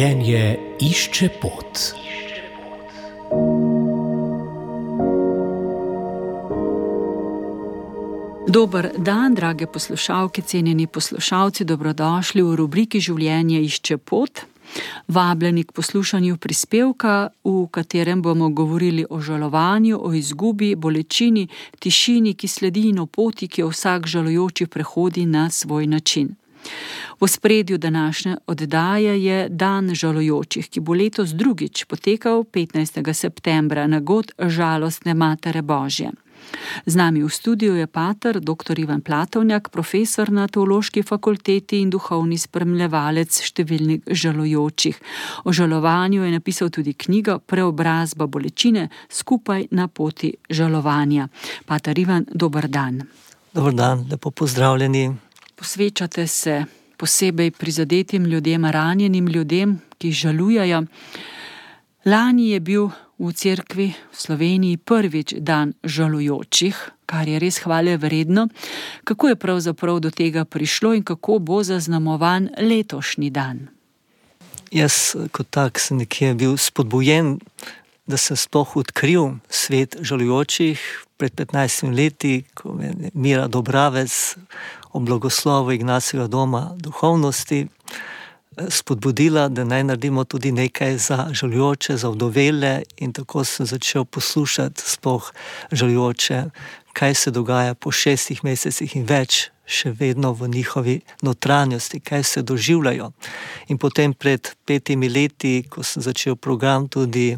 Življenje išče pot. Dober dan, drage poslušalke, cenjeni poslušalci, dobrodošli v rubriki Življenje išče pot. Vabljeni k poslušanju prispevka, v katerem bomo govorili o žalovanju, o izgubi, bolečini, tišini, ki sledi in o poti, ki jo vsak žalujoči prehodi na svoj način. V ospredju današnje oddaje je Dan žalujočih, ki bo letos drugič potekal 15. septembra na god žalostne Matere Božje. Z nami v studiu je pater dr. Ivan Platovnjak, profesor na Teološki fakulteti in duhovni spremljevalec številnih žalujočih. O žalovanju je napisal tudi knjigo Preobrazba bolečine skupaj na poti žalovanja. Pater Ivan, dober dan. Dober dan, lepo pozdravljeni. Posvečate se posebej prizadetim ljudem, ranjenim ljudem, ki žalujejo. Lani je bil v cerkvi v Sloveniji prvič dan žalujočih, kar je res hvale vredno. Kako je pravzaprav do tega prišlo in kako bo zaznamovan letošnji dan? Jaz kot tak sem nekje bil spodbujen, da sem sploh odkril svet žalujočih pred 15 leti, ko me je Mira Dobravec o blagoslovu Ignacijevega doma duhovnosti spodbudila, da naj naredimo tudi nekaj za žalujoče, za vdovele, in tako sem začel poslušati sploh žalujoče, kaj se dogaja po 6 mesecih in več, še vedno v njihovi notranjosti, kaj se doživljajo. In potem pred 5 leti, ko sem začel program, tudi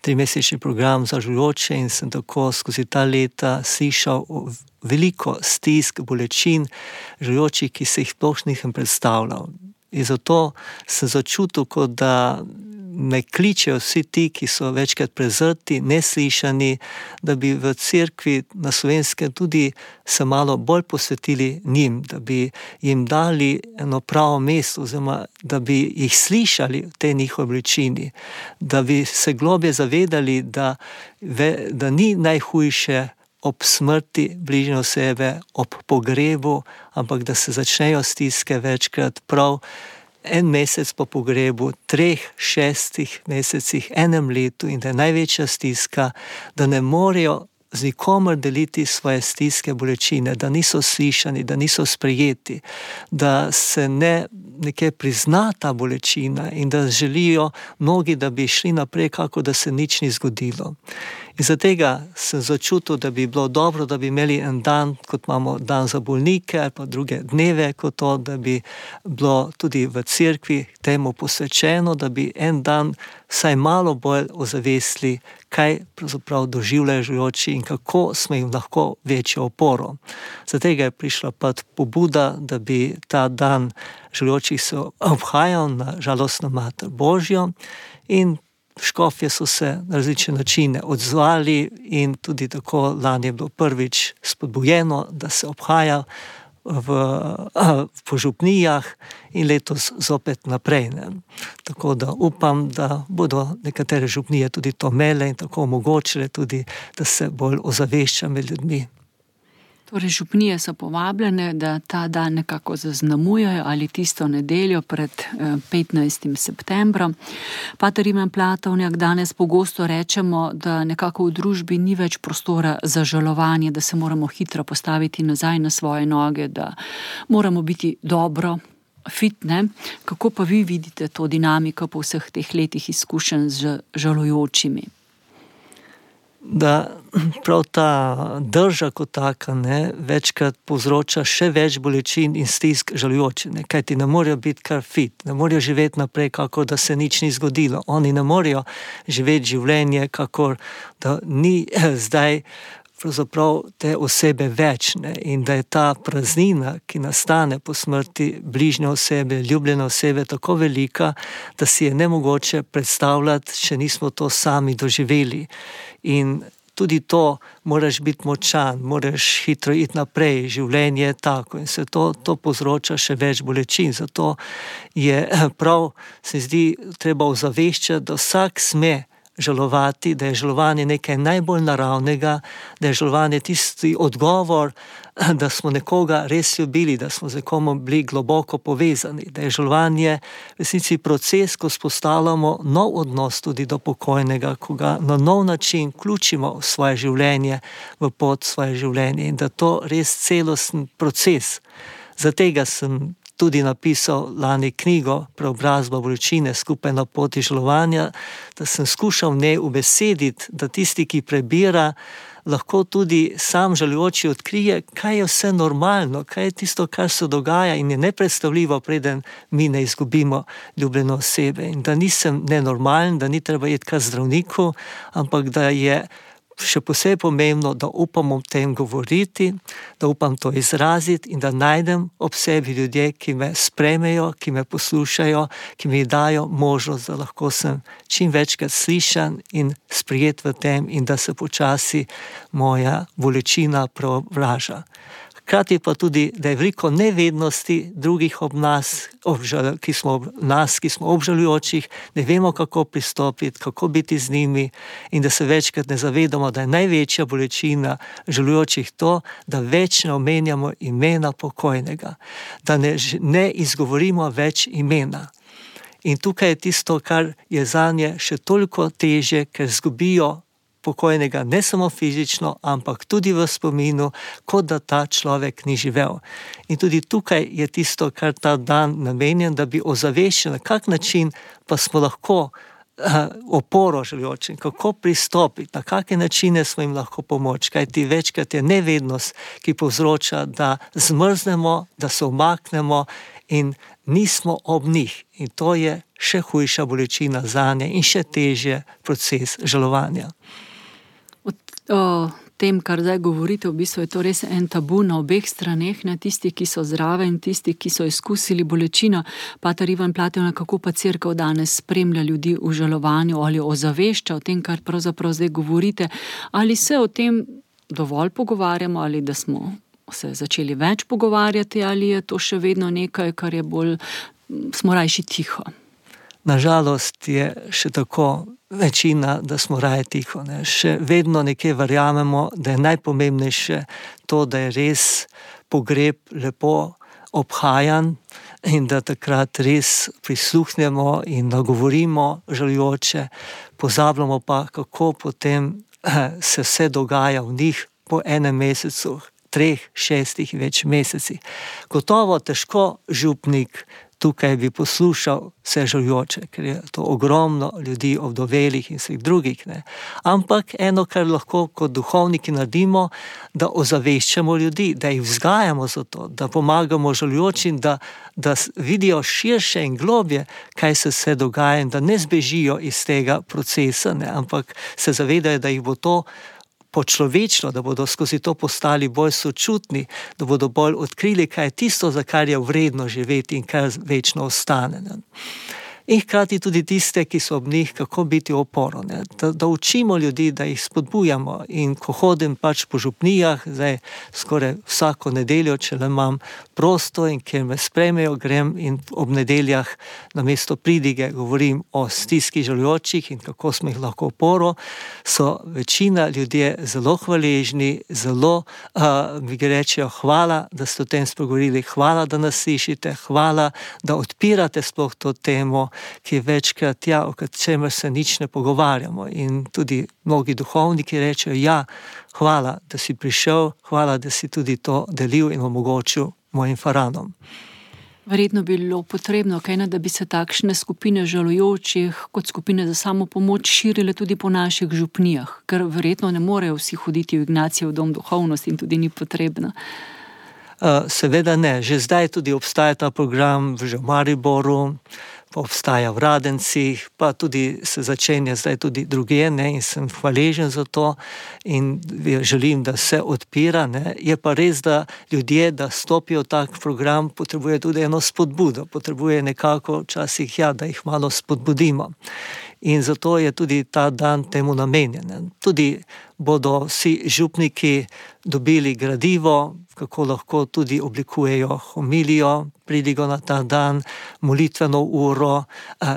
3-mesečni program za žalujoče, in sem tako skozi ta leta slišal veliko stisk, bolečin žalujočih, ki se jih sploh nisem predstavljal. In zato sem začutil, kot da me kličejo vsi ti, ki so večkrat prezrti, neslišani, da bi v cerkvi na Slovenskem tudi se malo bolj posvetili njim, da bi jim dali eno pravo mesto, oziroma da bi jih slišali v tej njihovi bolečini, da bi se globje zavedali, da ni najhujše ob smrti bližnje osebe, ob pogrebu, ampak da se začnejo stiske večkrat prav 1 mesec po pogrebu, 3, 6 mesecih, 1 letu, in da je največja stiska, da ne morejo z nikomer deliti svoje stiske, bolečine, da niso slišani, da niso sprejeti, da se ne nekaj prizna ta bolečina in da želijo mnogi, da bi šli naprej, kako da se nič ni zgodilo. In zatega sem začutil, da bi bilo dobro, da bi imeli en dan, kot imamo dan za bolnike, ali pa druge dneve kot to, da bi bilo tudi v cerkvi temu posvečeno, da bi en dan vsaj malo bolj ozavestili, kaj pravzaprav doživljajo žalujoči in kako smo jim lahko večjo oporo. Zatega je prišla pobuda, da bi ta dan žalujočih se obhajal na žalostno Mater Božjo, in škofje so se na različne načine odzvali, in tudi tako lani je bilo prvič spodbujeno, da se obhaja po župnijah, in letos zopet naprej. Tako da upam, da bodo nekatere župnije tudi to imele in tako omogočile tudi, da se bolj ozavešča med ljudmi. Torej, župnije so povabljene, da ta dan nekako zaznamujejo ali tisto nedeljo pred 15. septembrom. Pater Ivan Platovnjak, danes pogosto rečemo, da nekako v družbi ni več prostora za žalovanje, da se moramo hitro postaviti nazaj na svoje noge, da moramo biti dobro, fitne. Kako pa vi vidite to dinamiko po vseh teh letih izkušenj z žalujočimi? Da prav ta drža kot taka večkrat povzroča še več bolečin in stisk žalujočih, kajti ne morejo biti kar fit, ne morejo živeti naprej, kako da se nič ni zgodilo. Oni ne morejo živeti življenje, kako da ni zdaj pravzaprav te osebe več, in da je ta praznina, ki nastane po smrti bližnje osebe, ljubljene osebe, tako velika, da si je nemogoče predstavljati, če nismo to sami doživeli. In tudi to, moraš biti močan, moraš hitro iti naprej, življenje je tako, in se to povzroča še več bolečin. Zato je prav, se zdi, treba ozaveščati, da vsak sme žalovati, da je žalovanje nekaj najbolj naravnega, da je žalovanje tisti odgovor da smo nekoga res ljubili, da smo z nekom bili globoko povezani, da je žalovanje v resnici proces, ko spostavljamo nov odnos tudi do pokojnega, ko ga na nov način vključimo v svoje življenje, v pot svoje življenje in da to res celosten proces. Zatega sem tudi napisal lani knjigo Preobrazba bolečine skupaj na poti žalovanja, da sem skušal v njej ubesediti, da tisti, ki prebira, lahko tudi sam žalujoči odkrije, kaj je vse normalno, kaj je tisto, kar se dogaja in je nepredstavljivo, preden mi ne izgubimo ljubljene osebe. In da nisem nenormalen, da ni treba iti k zdravniku, ampak da je še posebej pomembno, da upam o tem govoriti, da upam to izraziti in da najdem ob sebi ljudje, ki me sprejmejo, ki me poslušajo, ki mi dajo možnost, da lahko sem čim večkrat slišan in sprijet v tem in da se počasi moja bolečina preobraža. Hkrati pa tudi, da je veliko nevednosti drugih ob nas, ki smo obžalujočih, ne vemo, kako pristopiti, kako biti z njimi in da se večkrat ne zavedamo, da je največja bolečina žalujočih to, da več ne omenjamo imena pokojnega, da ne izgovorimo več imena. In tukaj je tisto, kar je zanje še toliko težje, ker izgubijo pokojnega ne samo fizično, ampak tudi v spominu, kot da ta človek ni živel. In tudi tukaj je tisto, kar ta dan namenjen, da bi ozaveščali, na kak način pa smo lahko oporo žalujočim, kako pristopiti, na kakšne načine smo jim lahko pomoč, kajti večkrat je nevednost, ki povzroča, da zmrznemo, da se umaknemo in nismo ob njih. In to je še hujša bolečina zanje in še težje proces žalovanja. O tem, kar zdaj govorite, v bistvu je to res en tabu na obeh straneh, ne tisti, ki so zraven, tisti, ki so izkusili bolečino. Pater Ivan Platev, kako pa cerkev danes spremlja ljudi v žalovanju ali ozavešča o tem, kar pravzaprav zdaj govorite, ali se o tem dovolj pogovarjamo, ali da smo se začeli več pogovarjati, ali je to še vedno nekaj, kar je bolj, smo rajši tiho? Nažalost je še tako večina, da smo raje tiho. Ne. Še vedno nekje verjamemo, da je najpomembnejše to, da je res pogreb lepo obhajan in da takrat res prisluhnemo in nagovorimo žalujoče, pozabljamo pa, kako potem se vse dogaja v njih po enem mesecu, 3, 6 več mesecih. Gotovo težko župnik tukaj bi poslušal vse žalujoče, ker je to ogromno ljudi, ovdovelih in vseh drugih. Ne. Ampak eno, kar lahko kot duhovniki naredimo, da ozaveščamo ljudi, da jih vzgajamo za to, da pomagamo žalujočim, da vidijo širše in globje, kaj se vse dogaja in da ne zbežijo iz tega procesa, ne, ampak se zavedajo, da jih bo to počlovečno, da bodo skozi to postali bolj sočutni, da bodo bolj odkrili, kaj je tisto, za kar je vredno živeti in kar večno ostane. Ne. In hkrati tudi tiste, ki so ob njih, kako biti oporo. Ne. Da učimo ljudi, da jih spodbujamo. In ko hodim pač po župnijah, zdaj skoraj vsako nedeljo, če le imam prosto in kjer me sprejmejo, grem in ob nedeljah namesto pridige govorim o stiski žalujočih in kako smo jih lahko oporo, so večina ljudje zelo hvaležni, zelo mi rečejo hvala, da ste o tem spregovorili, hvala, da nas slišite, hvala, da odpirate sploh to temo, ki je večkrat, o čemer se nič ne pogovarjamo. In tudi mnogi duhovniki rečejo, hvala, da si prišel, hvala, da si tudi to delil in omogočil mojim faranom. Verjetno bi bilo potrebno, da bi se takšne skupine žalujočih kot skupine za samopomoč širile tudi po naših župnijah, ker verjetno ne morejo vsi hoditi v Ignacijev dom duhovnosti in tudi ni potrebno. Seveda ne. Že zdaj tudi obstaja ta program v Mariboru, pa obstaja v Radencih, pa tudi se začenja zdaj tudi drugje, ne, in sem hvaležen za to in želim, da se odpira. Ne. Je pa res, da ljudje, da stopijo v tak program, potrebuje tudi eno spodbudo, potrebuje nekako včasih, da jih malo spodbudimo. In zato je tudi ta dan temu namenjen. Tudi bodo vsi župniki dobili gradivo, kako lahko tudi oblikujejo homilijo, pridigo na ta dan, molitveno uro,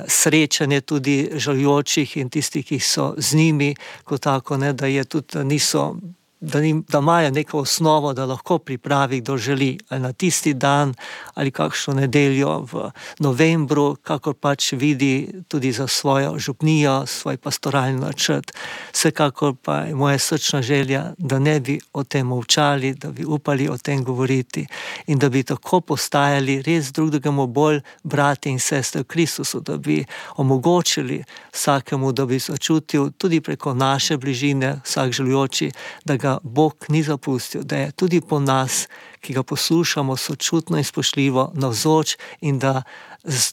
srečanje tudi žalujočih in tistih, ki so z njimi, kot tako, ne, da je tudi, da niso da imajo neko osnovo, da lahko pripravi, kdo želi, ali na tisti dan, ali kakšno nedeljo v novembru, kakor pač vidi tudi za svojo župnijo, svoj pastoralni načrt. Vsekakor pa je moja srčna želja, da ne bi o tem molčali, da bi upali o tem govoriti in da bi tako postajali res drug drugemu bolj brati in sestre v Kristusu, da bi omogočili vsakemu, da bi začutil tudi preko naše bližine, vsak želujoči, da ga Bog ni zapustil, da je tudi po nas, ki ga poslušamo sočutno in spoštljivo navzoč in da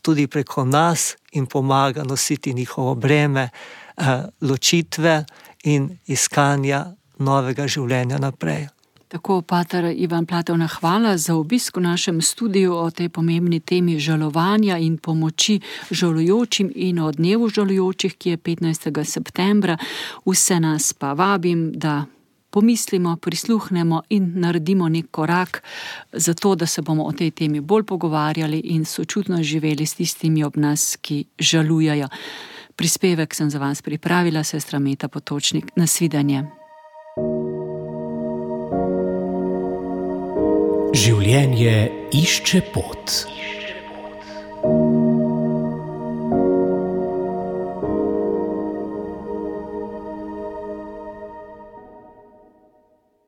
tudi preko nas jim pomaga nositi njihovo breme ločitve in iskanja novega življenja naprej. Tako, pater Ivan Platovna, hvala za obisk v našem studiu o tej pomembni temi žalovanja in pomoči žalujočim in o dnevu žalujočih, ki je 15. septembra. Vse nas pa vabim, da pomislimo, prisluhnemo in naredimo nek korak za to, da se bomo o tej temi bolj pogovarjali in sočutno živeli s tistimi ob nas, ki žalujejo. Prispevek sem za vas pripravila sestra Meta Potočnik. Nasvidenje. Življenje išče pot.